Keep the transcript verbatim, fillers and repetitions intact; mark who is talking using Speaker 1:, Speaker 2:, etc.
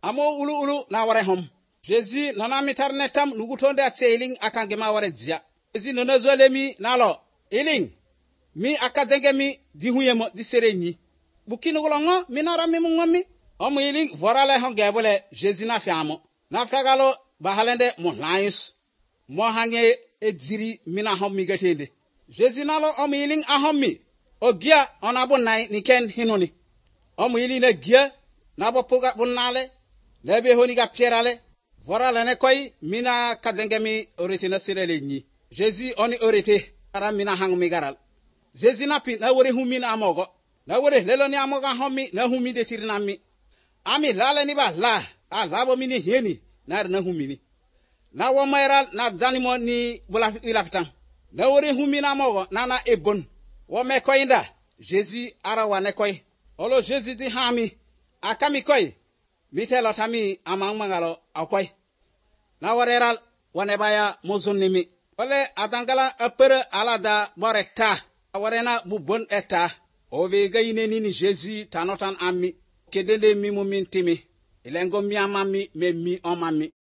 Speaker 1: amo ulu ulu na ware hom. Jésus nana mitar netam nugutonde atseling akangema ware dzia. Jésus nono zolemi nalo iling mi akadenge mi di huyemo di sereni. Bukinu golongo minara mi mungomi. Omu iling vorale hongebole Jésus na fiamo. Na fiagalo bahalende mo laius. Mo hange edziri mina homi gatende. Jésus nalo omu iling ahomi. Ogia onabo nai niken hinoni. Omu iling ne gia nabo puga bunale. Lebe honi ga pierale. Vorale ne koi mina kadenge mi orete na sirele ni. Jésus oni orete ara mina hangu mi garal. Jésus na pi na wore humi na amogo. Na wore lelo ni amoga homi na humi de sirinami. Ami lale ni ba la. A labo mini heni na na humi ni. Na womairal na zanimo ni bula ilafitan. Na wore humi na amogo na na ebon. Wome koinda. Jésus ara wane koi. Olo Jésus di hami. Akami koi. Mite lotami amang mangalo akwai. Na wareral wane baya mozunimi. Ole adangala apere alada boreta. Awarena bubon eta. Ove gaine nini Jésus tanotan ami. Kedele mi mumintimi. Ilengo mi amami me mi omami.